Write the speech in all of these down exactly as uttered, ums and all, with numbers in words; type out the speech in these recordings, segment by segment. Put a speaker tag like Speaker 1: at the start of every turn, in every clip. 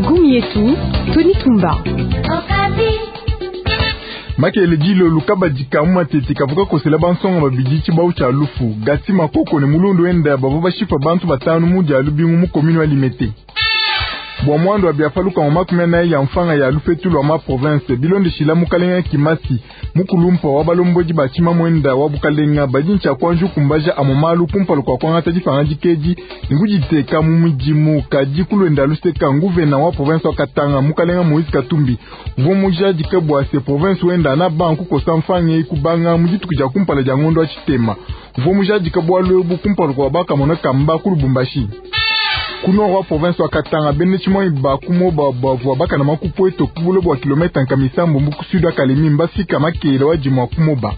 Speaker 1: Gumietu, Tony Tumba.
Speaker 2: Makele dilolo kabadika mu matete kavuka kosela bansonga babidi tshibau tshia lufu gati makoko ne mulundu wenda bavua bashipa bantu batanu mu dia lubingu mu commune wa Limete. Bua mwando wa biafaluka wa makumi anayi ya mfanga ya lupetu lwa ma province bilondeshila mukalenga Kimasi mukulumpa wa balombodi ba tshima mwenda wa bukalenga badi ntshia kuanju kumbaja amo malu kumpala kua kuangata dipanga dikedi ne kuditeka mu midimu kadi kulwenda luseka nguvena wa province wa Katanga mukalenga Moïse Katumbi uvua mujadike bua se province wenda na banku kosa mfanga eyi kubanga mu dituku dia kumpala dia ngondo wa tshitema uvua mujadike bualu ebu kumpala kua bakamona kamba ku Lubumbashi. Ku nord wa province wa Katanga bene tshimwanyi bakumoba bavua bakana makupweto ku bulo bua kilomètre nkamisambo mbu ku sud wa Kalemi mbafika makele wa dimua kumoba.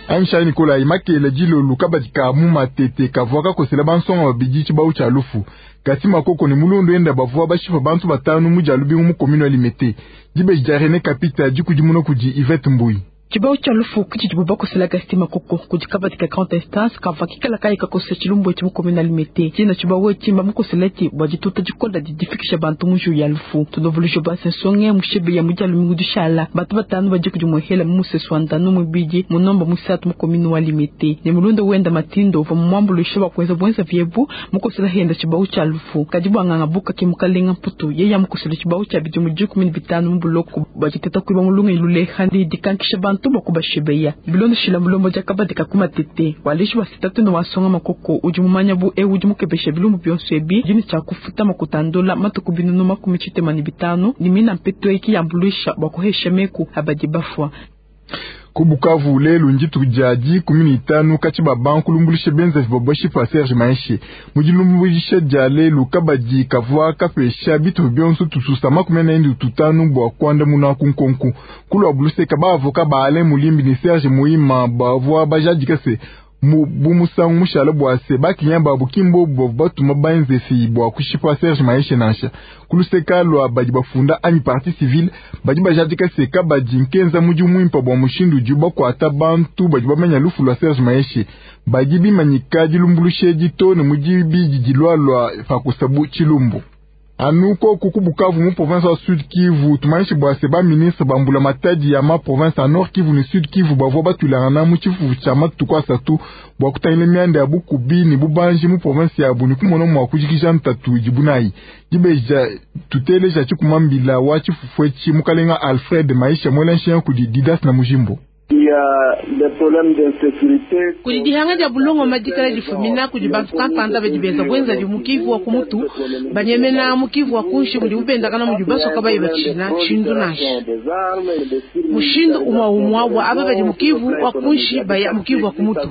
Speaker 2: Aimshai Nikolai makele dilolo kabadika mu matete kavua kakosela bansonga babidi tshibau tshia lufu kasi makoko ne mulundu enda bavua bashipa bantu batanu mu dia lubingu mu commune wa Limete. Dibeji dia René Kapita dikudimuna kudi Yvette Mbuyi.
Speaker 3: Tshibau tshia lufu kutshidi bakosela Gasti Makoko kudi kabadika grande instance kavua kikala kayi kakosa tshilumbu etshi mu commune ya Limete. Tshina tshibau etshi mbamukoseleti bua dituta dikola didifikisha bantu mu njiwu ya lufu. Tunovulujo basensonge mushebe ya mu dia lumingu dishala bantu batanu badi kudi muhela mu musesu wa ndanu muibidi munomba muisatu mu commune wa Limete. Ne mulunda wenda matindo uvua mumuambuluishe bua kuenza buenza viebu mukosela henda tshibau tshia lufu. Kadi bua nganga buka ke mukalenga mputu yeye amukosela tshibau tshia bidimu dikumi ne bitanu mu buloko bua diteta kuiba mulungu iluleha ndi dikankisha bantu bantu bakubashebeya bilondeshila mulombo dia kabadika ku matete waleshi wa sitatu ne wasonga makoko udi mumanya bu ewu udi mukebesha bilumbu bionso ebi dini tshia kufuta makutandola matuku binunu makumi tshitema ne bitanu ne mina mpetu eki yambuluisha bua kuhesha meku abadi bafua.
Speaker 2: Ku Bukavu lelu ndituku dia dikumi ne itanu katshi ba banku lumbulishe benzavi babashipa Serge Maeshe mu dilumbulisha dia lelu kabadi kavua kapesha bitu bionso tususa makumi anayi ne tutanu bua kuandamuna ku nkonku kulua buluseka ba avoka ba Alain Mulimbi ne Serge Muima bavua bajadika se mu bu musangu mushala bua se bakinya babu kimbo bavua batuma benzefi bua kushipa Serge Maeshe nansha kuluseka lua badi bafunda anyi partie civile badi bajadika se kabadi nkenza mudimu muimpa bua mushindu udi bakuata bantu badi bamanya lufu lua Serge Maeshe badi bimanyika dilumbuluisha to ne mudi bidi dilua pakusabu tshilumbu. Anu koku ku Bukavu mu province wa Sud Kivu tumanyishe bua se ba ministre bambula matadi ya ma province ya Nord Kivu ne Sud Kivu bavua batulangana mu tshifufu tshia matuku asatu bua kutangila mianda ya bukubi ne bubanji mu province yabu ne kumona mua kujikija ntatu idibu nayi. Dibeja tuteleja tshikumambila wa tshifufu etshi mukalenga Alfred Maisha mwela nshiya kudi Didas na Mujimbo.
Speaker 4: Kudi dihanga dia bulongo madikala difumina kudi bantu kampanda badi benza bwenza di mukivu wa kumutu banyemena mukivu wa kunshi mudi bubendakana mudi basoka bayi batshina tshindu nansha mushindu umwa umwa wa aba badi mukivu wa kunshi baya mukivu wa kumutu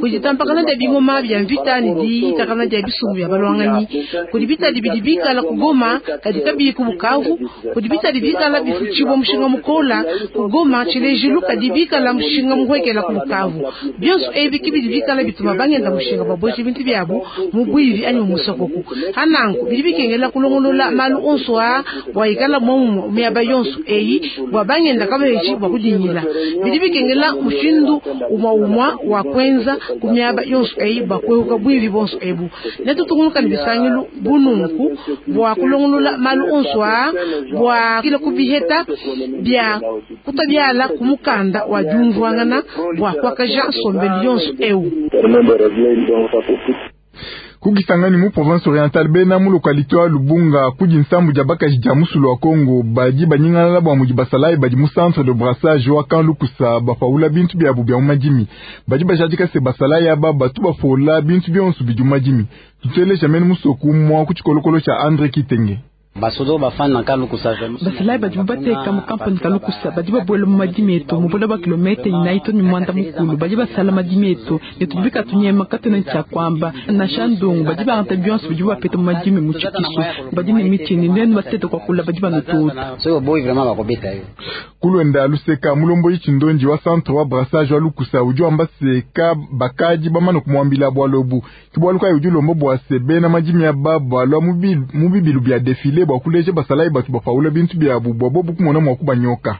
Speaker 4: kudi tampakana dia bingoma bya mvita ne diyitakana dia bisumbu bya balwanganyi kudi bitadi bidi bikala kugoma kadi kabiyi ku Bukavu kudi bitadi bikala bifutshibwa mushinga mukola kugoma tshilejilu kadi bikala mushinga muhwekela ku Bukavu bionso ebi kibidi bikala bituma bangenda mushinga baboshi bintu byabu mu bwivi anyi mu musokoku hananku bidi bikengela kulongolola malu onso a bua ikala momu miaba yonso eyi bua bangenda kabeji bua kudinyila bidi bikengela mushindu umwa umwa wa kwenza ku miaba yonso eyi bua kwehuka bwivi bonso ebu netutungunuka ne bisangilu bununku bua kulongolola malu onso a bua kila kubiheta bya kutabiala ku mukanda wa diumvuangana bua kuakaja nsombelu yonso ewu.
Speaker 2: Kukisangani mu province orientale bena mu localité wa Lubunga kudi nsambu dia bakaji dia musulu wa Congo badi banyingalala bua mudi basalayi badi mu centre de brassage wa kan lukusa bapaula bintu biabu bia mu madimi badi bajadika se basalayi aba batu bafola bintu bionso bidi mu madimi. Tuteleja mene musoku mwa ku tshikolokolo tshia Andre Kitenge.
Speaker 5: Basodo bafana kalukusa
Speaker 3: basalayi badi bateka mu kampani kalukusa badi babuela mu madimi etu mu bula ba kilomètre inayi to ni mwanda mukulu badi basala madimi etu ne tudi bikatunyema katuna tshia kwamba nansha ndongo badi bangata bionso bidi bapeta mu madimi mu tshikisu badi ne mitshini nenu batete kwa kula badi banututa
Speaker 5: so boy vraiment bakobeta yo
Speaker 2: kulwenda luseka mulombo yichindonji wa centre wa brassage wa lukusa udi wamba seka bakaji bamana kumwambila bwalobu kibwaluka udi lombo bwa sebe na madimi ya baba lwa mubibilu bya défilé bwa kuleje basalayi batu bapaula bintu byabu bwa bobu kumona mwa kubanyoka.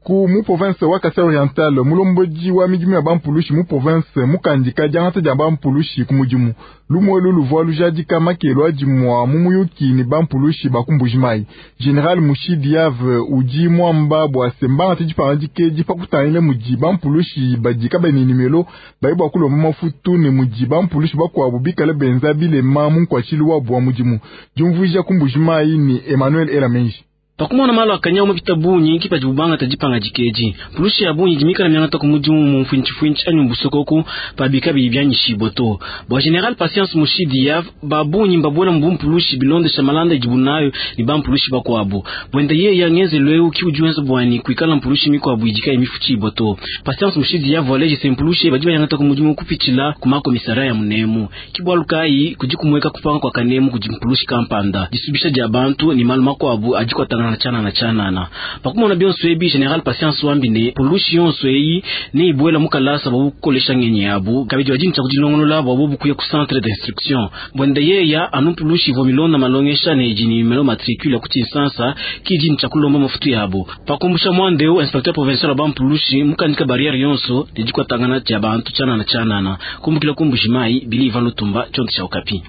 Speaker 2: Ku mu province wa Kasai Oriental, mulombodi wa midimu ya bampulushi mu province mukandika diangata dia bampulushi ku mudimu. Lumwe luvua lujadika makelo adimua mu muyuki ne bampulushi ba ku Mbujimayi. General Mushidi Yave udi mwamba bua se mbangate dipangadika edi pa kutangila mudi bampulushi badi kabayi ne nimelo bayi bua kulomba mafutu ne mudi bampulushi bakuabu bikale benza bilema mu nkuatshilu wabu wa mudimu. Diumvuija ku Mbujimayi ni Emmanuel Elamenji.
Speaker 6: Pakumona malu akanya mapita bungi kipa dibubanga tadipanga dikeji pulushi ya bungi dimikala miangata ku mudimu mu mfuintshi anyi mbusokoku pabika bibyanyishibwa to bwa General Patience Mushidi yav babunyi mbabona mbumpulushi bilondesha malanda idibunayo ni bampulushi bakwabo bwenda ye yangeze lweu ki ujuenza bwani kuikala mpulushi mikwabu idika imifuchibwa to Patience Mushidi yav waleje sempulushi badi bayangata ku mudimu kupitshila ku makomisara ya munemu kibwalukai kujikumweka kupanga kwa kanemu kujimpulushi kampanda disubisha dia bantu ni malu makwabu ajikwatangana chana na chanana pakumona bionso ebi General Patience wambine pulushi yonso eyi ne ibwela mukalasa babu kukolesha ngenyi yabu kabidi wajini cha kujilongolola babu bukuya ku centre d'instruction bwende yeya anu pulushi vo milonda malongesha ne jini melo matricule ku Kinshasa kijini cha kulomba mafutu yabo pakumbusha mwandeo inspecteur provincial wa pulushi mukandika barrière yonso ne jikwatangana cha bantu chana na chanana kumbukila kumbushimai bili Ivan Lutumba chonto cha Okapi.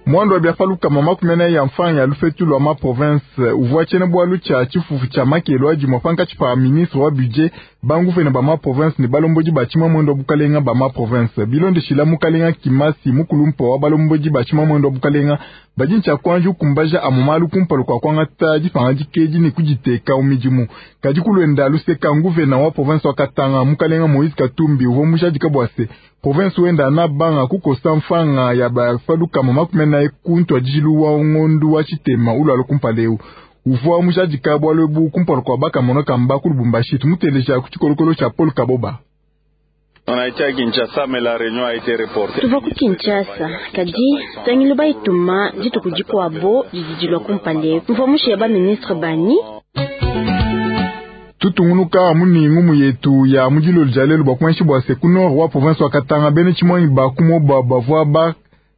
Speaker 2: Mwando wa biafaluka mama kumena ya mfanya lufetu lwa ma province uvua chene bwalu cha chifufu cha makelo aji mwapanka chipa ministre wa budget banguvene ba ma province ne balomboji ba chima mwendo bukalenga ba ma province bilonde shila mukalenga kimasi mukulumpo wa balomboji ba chima mwendo bukalenga bajincha kwanju kumbaja amumalu kumpalu kwa kwangata jipanga jikeji ni kujiteka umijimu kaji kulwenda luseka nguvena wa province wa Katanga mukalenga Moise Katumbi uvua mushadika bwase province wenda na banga kukosa mfanga ya bafaluka mama kumena ekuntu ajilu wa ngondu wa chitema ulo alokumpaleu uvua mushadika bwalwebu kumpalu kwa baka monoka mba kulubumbashi tumuteleja kuchikolokolo cha Paul Kaboba.
Speaker 7: Tuva ku Kinshasa kadi tangilo baituma dituku dikuabo didi kumpale mvua mushiya ba ministre bani
Speaker 2: tutungunuka muningu muyetu ya mujilo jalelu bakumanshi bwa se ku nord wa province wa Katanga bene chimwanyi bakumo bavua ba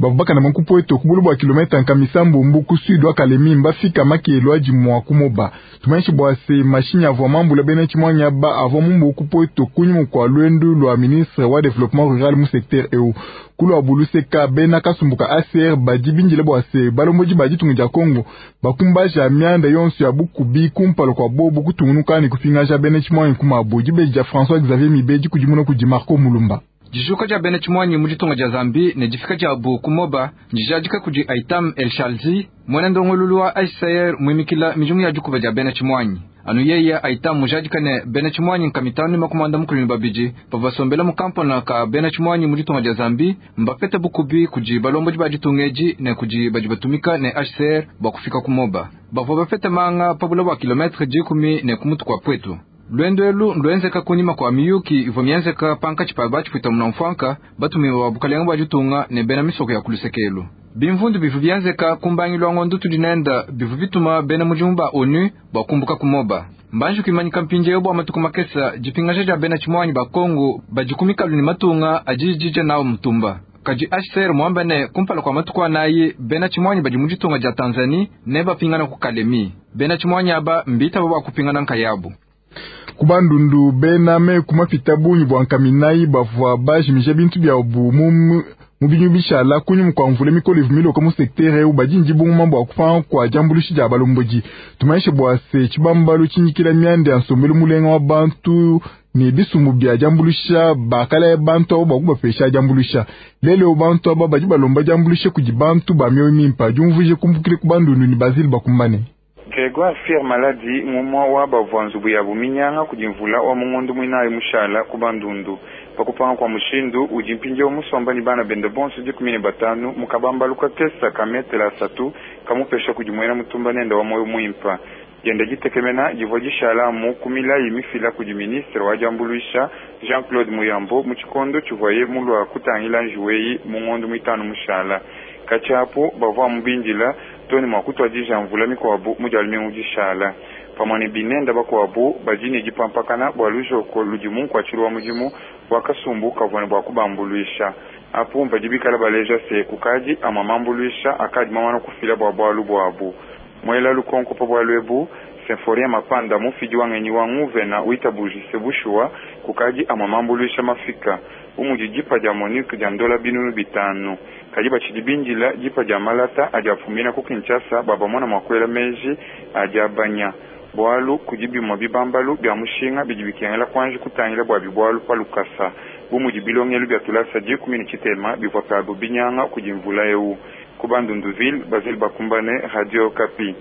Speaker 2: bavubakana mankupweto kubulu bwa kilomita nkamisambu mbu ku sud wa Kalemi mbafika makelo adi mwa kumoba tumanshi bwa se mashini avua mambula bene chimwanyi aba avua mumbu kupweto kunyuma kwa lwendu lwa ministre wa développement rural mu secteur eu kulwa buluseka bena kasumbuka A C R badi binjile bwa se balomboji badi tungu dia Kongo bakumbaja mianda yonso ya bukubi kumpalo kwa bobu kutungunuka ni kupingaja bene chimwanyi kumabu dibeji dia François Xavier Mibeji kudimuna kudi Marco Mulumba.
Speaker 8: Jijuka ja bene chimwanyi mujitunga ja Zambi ne jifika ja bu kumoba njijadika kudi Aitam El Shalzi mwene ndongolulu wa H C R mwimikila mijungu ya jukuba ja bene chimwanyi anu yeya Aitam mujadika ne bene chimwanyi nkamitanu makumanda mukulu babiji pavasombela mukampona ka bene chimwanyi mujitunga ja Zambi mbapete bukubi kuji balombo jibajitungeji ne kuji bajibatumika ne H C R bakufika kumoba bavua bapete manga pabula bwa kilometre jikumi ne kumutu kwa pwetu lwendo elu ndwenzeka kunyima kwa miyuki ivo myenzeka panka chipa bachipuita munamfwanka batumiwa bukalenga bwa jitunga ne bena misoko ya kulusekelu bimvundu bivu byenzeka kumbangilwa ngondo tudinenda bivu bituma bena mujimu ba ONU bakumbuka kumoba mbanji kuimanyika mpinjeyo bwa matuku makesa jipingasha ja bena chimwanyi ba Kongo bajikumikalu ni matunga ajijija nawo mutumba kaji H C R mwamba ne kumpala kwa matuku anayi bena chimwanyi badi mujitunga ja Tanzania ne bapingana ku Kalemi bena chimwanyi aba mbita baba kupingana nkayabu
Speaker 2: kubandundu bena me kumapita bunyi bwa nkaminayi bavua bajimije bintu bya bu mu mubinyu bishala kunyuma kwa mvula mikolo ivumile mu secteur eu bajinji bunguma bwa kupanga kwa jambulushi dia balomboji tumaishe bwa se chibambalu chinyikila myande ya nsombelu mulenga wa bantu ne bisumbu bya jambulusha bakala ya bantu abo bakubapesha jambulusha lelo bantu aba badi balomba jambulusha kudi bantu ba mioyo mimpa jumvuje kumbukile kubandundu ni Bazili bakumbane
Speaker 9: Gregoire Fier Maladi ngumwa wa bavua nzubu ya buminyanga kudimvula wa mungondo mwinayi mushala kubandundu pakupanga kwa mushindu udi mpindieu musomba ni bana bende bonso dikumi ne batanu mukabambaluka kesa kametela asatu kamupesha kudi mwena mutumba nende wa moyo mwimpa jenda jitekemena jivua jishalamu kumilayi mifila kudi ministre wa jambuluisha Jean-Claude Muyambo mu tshikondo tshivuaye mulua kutangila njuweyi mungondo mwitanu mushala katshiapu bavua mubindila toni mwa kutwadija mvula mikwabu mudialumingu dishala pamwe ne binenda bakwabu badi ne dipampakana bua lujoko ludi munkuatshilu wa mudimu wakasumbu kavua ne bua kubambuluisha apu badi bikala baleja se kukadi ama mambuluisha akadi mamana kufila bua bualu buabu mwela lukonko pa bualu ebu Symphorien Mapanda mufidi wa ngenyi wa nguvena witabujise bushuwa kukadi amwe mambuluisha mafika umudi dipa dia Monique dia ndola binunu bitanu kadi bachidi bindila dipa dia malata adi afumina ku Kinshasa baba mona mwakwela meji adi abanya bwalu kudi bimwa bibambalu bya mushinga bidi bikengela kwanje kutangila bwa bibwalu pa lukasa bumudi bilongelu bya tulasa dikumi ne tshitema bivua pabo binyanga kudi mvula eu ku Bandunduville Basile Bakumbane, Radio Kapi.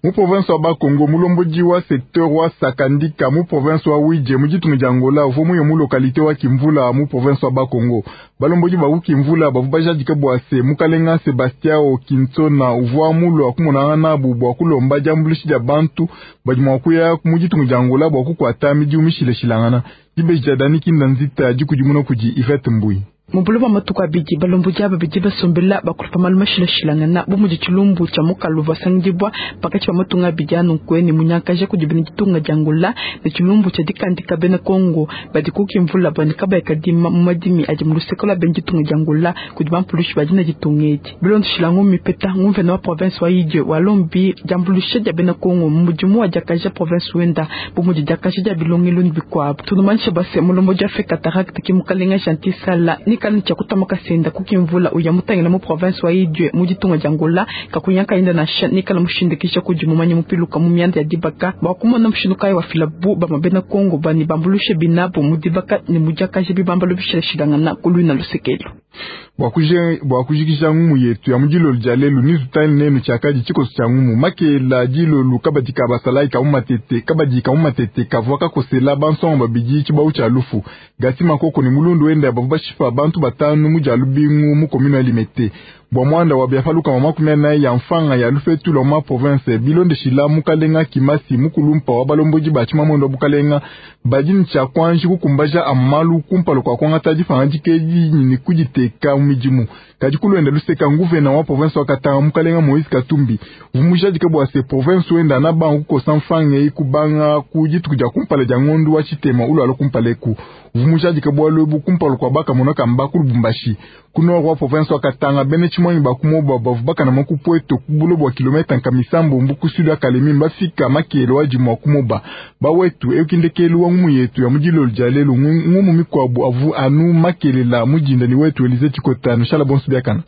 Speaker 2: Mu province wa Bakongo mulombodi wa secteur wa Sakandika mu province wa Wije mu ditunga dia Angola uvua muye mu localité wa Kimvula mu province wa Bakongo. Balombodi ba Kimvula bavua bajadika bua se mukalenga Sebastiao Kinsona uvua mulua kumonana nabu bua kulomba diambuluisha dia bantu badi mua kuya mu ditunga dia Angola bua kukuata midimu mishilashilangana. Dibeji dia Dani Kinda Nzita dikudimuna kudi Yvette Mbui.
Speaker 3: Mubulu wa matuku abidi balombodi aba bidi basombela bakulupa malu mashilashilangana bu mudi tshilumbu tshia mukalu vasangidibwa pakati pa matunga abidi anu nkuene munyakaja kudi bena ditunga dia Angola ne tshilumbu tshia dikandika bena Kongo badi ku Kimvula banika bayakadima mu madimi adi mu luseke lwa bena ditunga dia Angola kudi bampulushi badi na ditunga edi. Bilondeshila mipeta nguvena wa province wa Idie walombi diambuluisha dia bena Kongo mu mudimu wa diakaja province wenda bu mudi diakaja dia bilongelo ne bikuabu. Tunumanisha base mulombodi wa Cataracte ki mukalenga Gentil Sala ni kanu cha kutamaka senda kukimvula uya mutangila mu province wa Idue mu ditunga dia Angola kakunyanka inda na sha nikala mushindikisha kudi mumanye mupiluka mu mianda ya dibaka bwa kumona mushindu kayi wa filabu ba mabena Kongo bani bambulushe binabu mu dibaka ne mu diakaja bibambalo bishilashilangana kulwina lusekelo.
Speaker 2: Bwa kujikisha ngumu yetu ya mujilolu dia lelu nizutani nenu chakadi chikoso cha ngumu makela dilolu kabadi kabasalai ka mumatete kabadi ka mumatete kavua kakosela bansonga babidi tshibau tshia lufu gasi makoko ni mulundu wenda bavua bashipa bantu batanu mu dia lubingu mu commune ya Limete bwa mwanda wa biafaluka makumi anayi ya mfanga ya lufetu lwa ma province bilondeshila mukalenga kimasi mukulumpa wa balombodi ba tshimamondo wa bukalenga badi ne tshia kuanji kukumbaja amalu kumpala kua kuangata difanga dikedi ne kuditeka mu midimu kadi kulwenda luseka nguvena wa province wa Katanga mukalenga Moïse Katumbi vumujadika bua se province wenda na bangu kukosa mfanga eyi kubanga ku dituku dia kumpala dia ngondu wa tshitema ulwala kumpala eku vumujadika bua lwebu kumpala kua bakamona kamba ku Lubumbashi ku nord wa province wa Katanga bene tshimwanyi bakumoba bavu bakana makupweto kubulo bua kilometa nkamisambo mbu ku sud ya Kalemi mbafika makelo adi mua kumoba bawetu eukindekelu wa ngumu yetu ya mudilolo dia lelu ngumu mikwabu avu anu makelela mudinda ni wetu Elize Chikota nushala bonso biakana.